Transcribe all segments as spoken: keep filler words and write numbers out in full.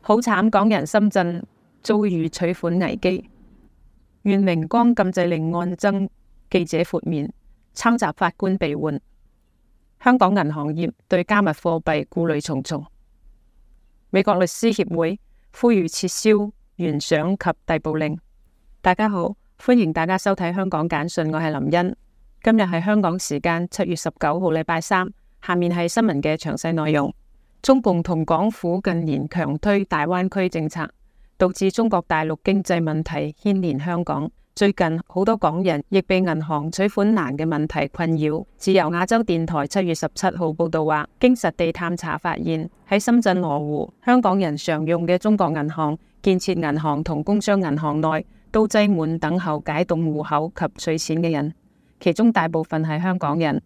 好慘，港人深圳遭遇取款危機。願榮光禁制令案爭記者豁免，參集法官被換。香港銀行業對加密貨幣顧慮重重。美國律師協會呼籲撤銷懸賞及逮捕令。大家好，歡迎大家收睇香港簡訊，我係林茵。今日係香港時間七月十九號禮拜三，下面係新聞嘅詳細內容。中共同港府近年強推大灣區政策，導致中國大陸經濟問題牽連香港。最近好多港人亦被銀行取款難嘅問題困擾。自由亞洲電台七月十七號報道話，經實地探查發現，喺深圳羅湖，香港人常用嘅中國銀行、建設銀行同工商銀行內都擠滿等候解凍戶口及取錢嘅人，其中大部分係香港人。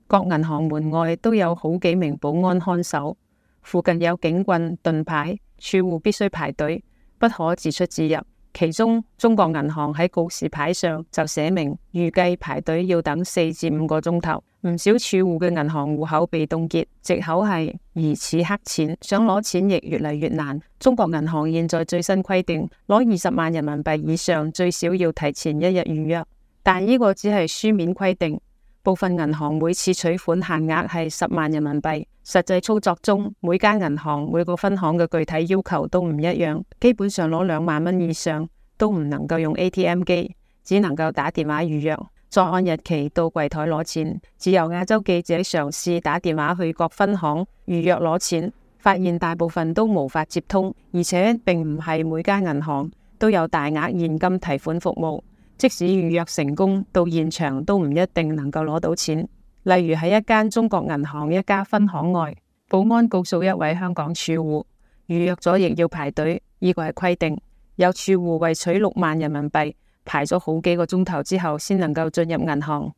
各銀行門外都有好幾名保安看守。附近有警棍、盾牌，儲戶必須排隊，不可自出自入。其中，中國銀行喺告示牌上就寫明，預計排隊要等四至五個鐘頭。唔少儲戶嘅銀行戶口被凍結，藉口係疑似黑錢，想攞錢亦越嚟越難。中國銀行現在最新規定，攞二十萬人民幣以上，最少要提前一日預約，但呢個只係書面規定。部分銀行每次取款限額係十萬人民幣，實際操作中，每間銀行每個分行嘅具體要求都唔一樣，基本上攞兩萬蚊以上都唔能夠用 A T M 機，只能夠打電話預約，再按日期到櫃台攞錢。自由亞洲記者嘗試打電話去各分行預約攞錢，發現大部分都無法接通，而且並唔係每間銀行都有大額現金提款服務。即使預約成功，到現場都唔一定能夠攞到錢。例如喺一間中國銀行一家分行外，保安告訴一位香港儲戶，預約咗亦要排隊，呢個係規定。有儲戶為取六萬人民幣，排咗好幾個鐘頭之後先能夠進入銀行，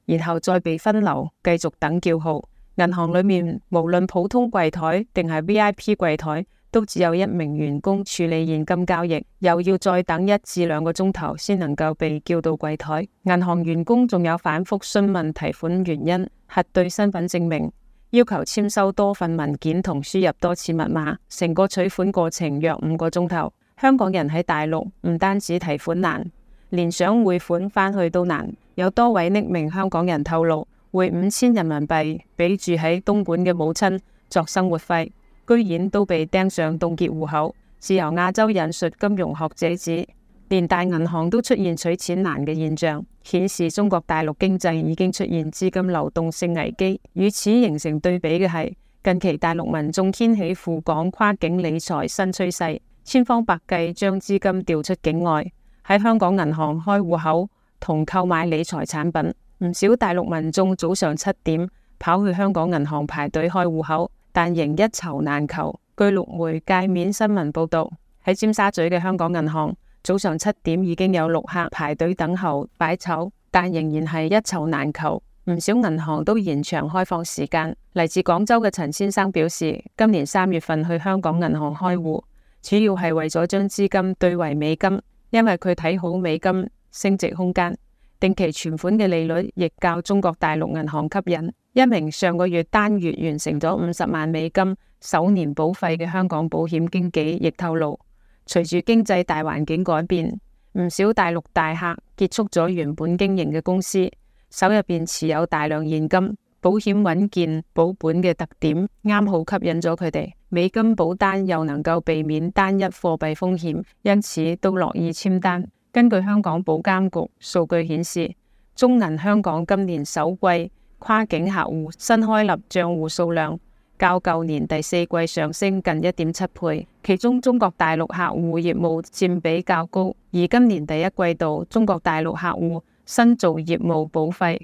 然後再被分流，繼續等叫號。銀行裏面無論普通櫃台定係 V I P 櫃台，都只有一名員工處理現金交易，又要再等一至兩個鐘頭先能夠被叫到櫃台。銀行員工仲有反覆詢問提款原因、核對身份證明、要求簽收多份文件同輸入多次密碼，成個取款過程約五個鐘頭。香港人喺大陸唔單止提款難，連想匯款返去都難。有多位匿名香港人透露，匯五千人民幣俾住喺東莞嘅母親作生活費，居然都被釘上凍結戶口。自由亞洲引述金融學者指，連大銀行都出現取錢難嘅現象，顯示中國大陸經濟已經出現資金流動性危機。與此形成對比嘅係，近期大陸民眾掀起赴港跨境理財新趨勢，千方百計將資金調出境外，喺香港銀行開戶口同購買理財產品。唔少大陸民眾早上七點跑去香港銀行排隊開戶口，但仍一籌難求。據陸媒界面新聞報道，喺尖沙咀嘅香港銀行，早上七點已經有陸客排隊等候擺籌，但仍然係一籌難求。唔少銀行都延長開放時間。嚟自廣州嘅陳先生表示，今年三月份去香港銀行開戶，主要係為咗將資金兌為美金，因為佢睇好美金升值空間。定期存款嘅利率亦較中國大陸銀行吸引。一名上個月單月完成咗五十萬美金首年保費嘅香港保險經紀亦透露，隨住經濟大環境改變，唔少大陸大客結束咗原本經營嘅公司，手入邊持有大量現金，保險穩健保本嘅特點啱好吸引咗佢哋。美金保單又能夠避免單一貨幣風險，因此都樂意簽單。根據香港保監局數據顯示，中銀香港今年首季跨境客戶新開立賬戶數量較舊年第四季上升近一點七倍，其中中國大陸客戶業務佔比較高，而今年第一季度中國大陸客戶新造業務保費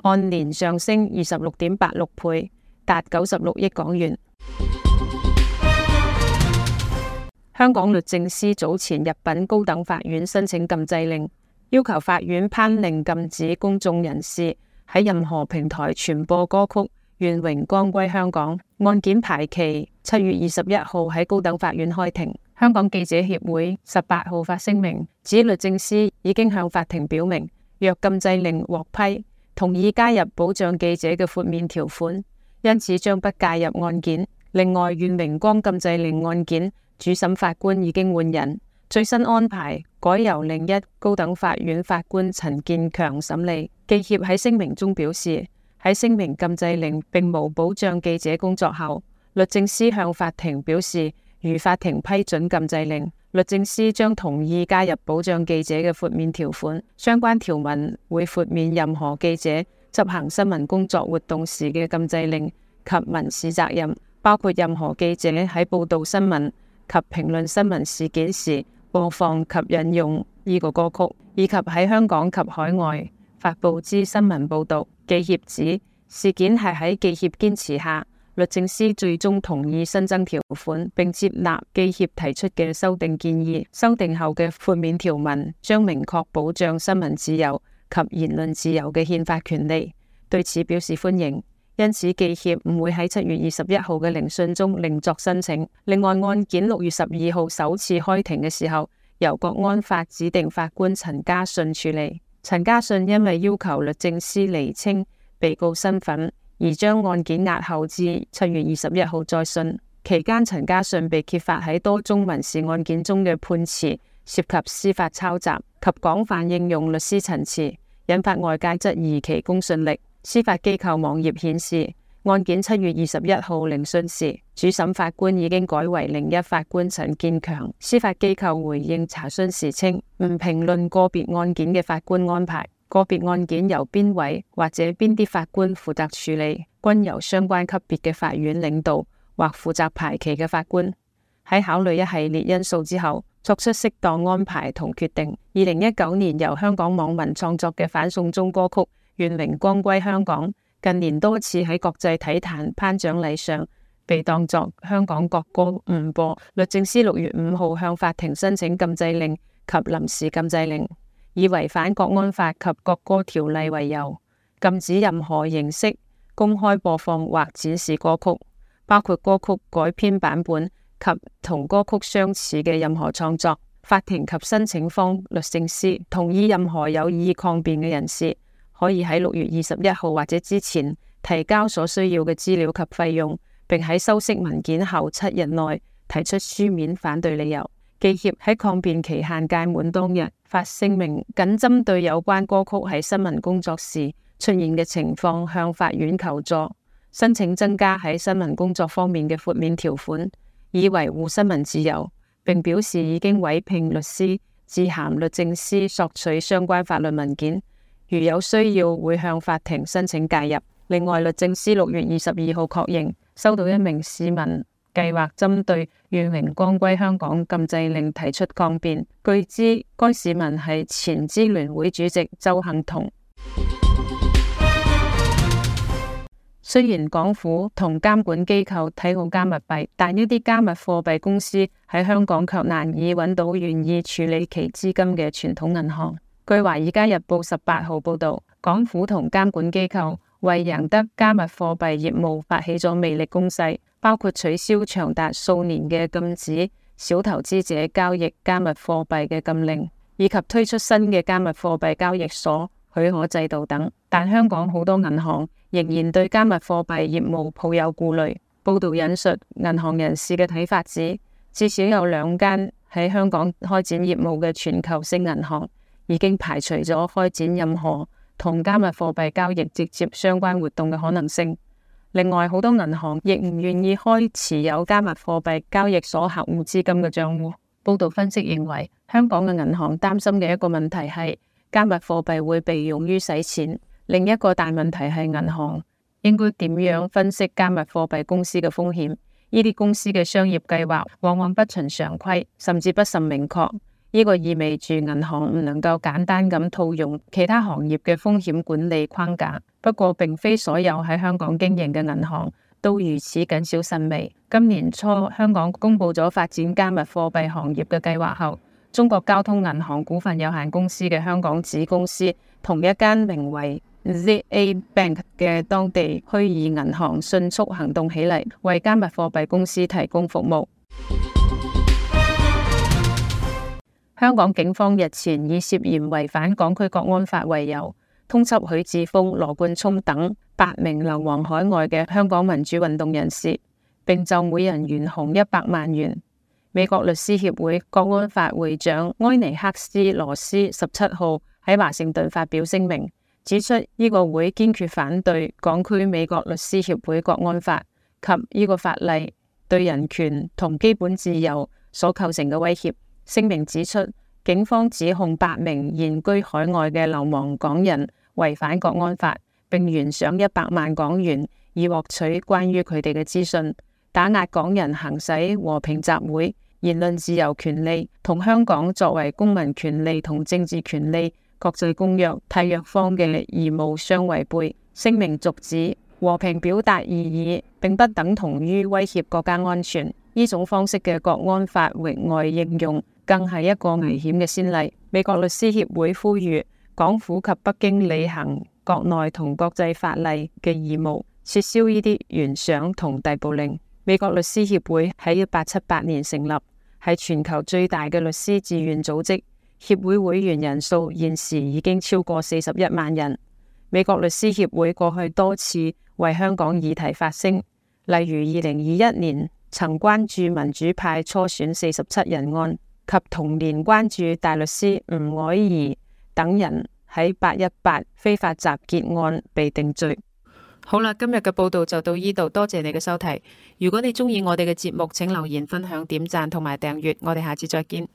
按年上升二十六點八六倍，達九十六億港元。香港律政司早前入稟高等法院申請禁制令，要求法院頒令禁止公眾人士喺任何平台傳播歌曲《願榮光歸香港》。案件排期七月二十一號喺高等法院開庭。香港記者協會十八號發聲明，指律政司已經向法庭表明，若禁制令獲批，同意加入保障記者嘅豁免條款，因此將不介入案件。另外，願榮光禁制令案件主審法官已經換人，最新安排改由另一高等法院法官陳建強審理。記協喺聲明中表示，喺聲明禁制令並無保障記者工作後，律政司向法庭表示，如法庭批准禁制令，律政司將同意加入保障記者嘅豁免條款。相關條文會豁免任何記者執行新聞工作活動時嘅禁制令及民事責任，包括任何記者喺報道新聞及評論新聞事件時播放及引用呢個歌曲，以及喺香港及海外發佈之新聞報道。記協指事件係喺記協堅持下，律政司最終同意新增條款，並接納記協提出嘅修訂建議。修訂後嘅豁免條文將明確保障新聞自由及言論自由嘅憲法權利，對此表示歡迎。因此，記協唔會喺七月二十一號嘅聆訊中另作申請。另外，案件六月十二號首次開庭嘅時候，由國安法指定法官陳家信處理。陳家信因為要求律政司釐清被告身份，而將案件押後至七月二十一號再訊。期間，陳家信被揭發喺多宗民事案件中嘅判詞涉及司法抄襲及廣泛應用律師陳詞，引發外界質疑其公信力。司法機構網頁顯示，案件七月二十一號聆訊時，主審法官已經改為另一法官陳建強。司法機構回應查詢時稱，唔評論個別案件嘅法官安排，個別案件由邊位或者邊啲法官負責處理，均由相關級別嘅法院領導或負責排期嘅法官喺考慮一系列因素之後，作出適當安排同決定。二零一九年由香港網民創作嘅反送中歌曲《願榮光歸香港》，近年多次喺國際體壇頒獎禮上被當作香港國歌誤播。律政司六月五號向法庭申請禁制令及臨時禁制令，以違反國安法及國歌條例為由，禁止任何形式公開播放或展示歌曲，包括歌曲改編版本及同歌曲相似嘅任何創作。法庭及申請方律政司同意任何有意抗辯嘅人士可以喺六月二十一號或者之前提交所需要嘅資料及費用，並喺修飾文件後七日內提出書面反對理由。記協喺抗辯期限屆滿當日發聲明，僅針對有關歌曲喺新聞工作時出現嘅情況向法院求助，申請增加喺新聞工作方面嘅豁免條款，以維護新聞自由，並表示已經委聘律師致函律政司索取相關法律文件，如有需要會向法庭申請介入。另外，律政司六月二十二號確認收到一名市民計劃針對願榮光歸香港禁制令提出抗辯，據知該市民係前支聯會主席鄒幸彤。雖然港府同監管機構睇好加密幣，但一啲加密貨幣公司喺香港卻難以揾到願意處理其資金嘅傳統銀行。據《華爾街日報》十八號報道，港府同監管機構為贏得加密貨幣業務發起咗魅力攻勢，包括取消長達數年嘅禁止小投資者交易加密貨幣嘅禁令，以及推出新嘅加密貨幣交易所許可制度等。但香港好多銀行仍然對加密貨幣業務抱有顧慮。報道引述銀行人士嘅睇法指，至少有兩間喺香港開展業務嘅全球性銀行已經排除咗開展任何同加密貨幣交易直接相關活動嘅可能性。另外，好多銀行亦唔願意開持有加密貨幣交易所客戶資金嘅賬戶。報道分析認為，香港嘅銀行擔心嘅一個問題係加密貨幣會被用於洗錢，另一個大問題係銀行應該點樣分析加密貨幣公司嘅風險。呢啲公司嘅商業計劃往往不循常規，甚至不甚明確。呢個意味住銀行唔能夠簡單咁套用其他行業嘅風險管理框架。不過，並非所有喺香港經營嘅銀行都如此謹小慎微。今年初，香港公布咗發展加密貨幣行業嘅計劃後，中國交通銀行股份有限公司嘅香港子公司同一間名為 Z A Bank 嘅當地虛擬銀行迅速行動起嚟，為加密貨幣公司提供服務。香港警方日前以涉嫌違反港區國安法為由，通緝許智峰、羅冠聰等八名流亡海外嘅香港民主運動人士，並就每人懸紅一百萬元。美國律師協會國安法會長埃尼克斯羅斯十七號喺華盛頓發表聲明，指出呢個會堅決反對港區美國律師協會國安法及呢個法例對人權同基本自由所構成嘅威脅。聲明指出，警方指控八名現居海外嘅流亡港人違反國安法，並懸賞一百萬港元以獲取關於佢哋嘅資訊，打壓港人行使和平集會、言論自由權利，同香港作為公民權利同政治權利國際公約締約方嘅義務相違背。聲明續指，和平表達異議並不等同於威脅國家安全，呢種方式嘅國安法域外應用更係一個危險嘅先例。美國律師協會呼籲港府及北京履行國內同國際法例嘅義務，撤銷呢啲懸賞同逮捕令。美國律師協會喺一八七八年成立，係全球最大嘅律師自願組織，協會會員人數現時已經超過四十一萬人。美國律師協會過去多次為香港議題發聲，例如二零二一年曾關注民主派初選四十七人案，及同年關注大律師吳靄儀等人喺八一八非法集結案被定罪。好啦，今日嘅報道就到呢度，多謝你嘅收睇。如果你鍾意我哋嘅節目，請留言、分享、點讚同埋訂閱。我哋下次再見。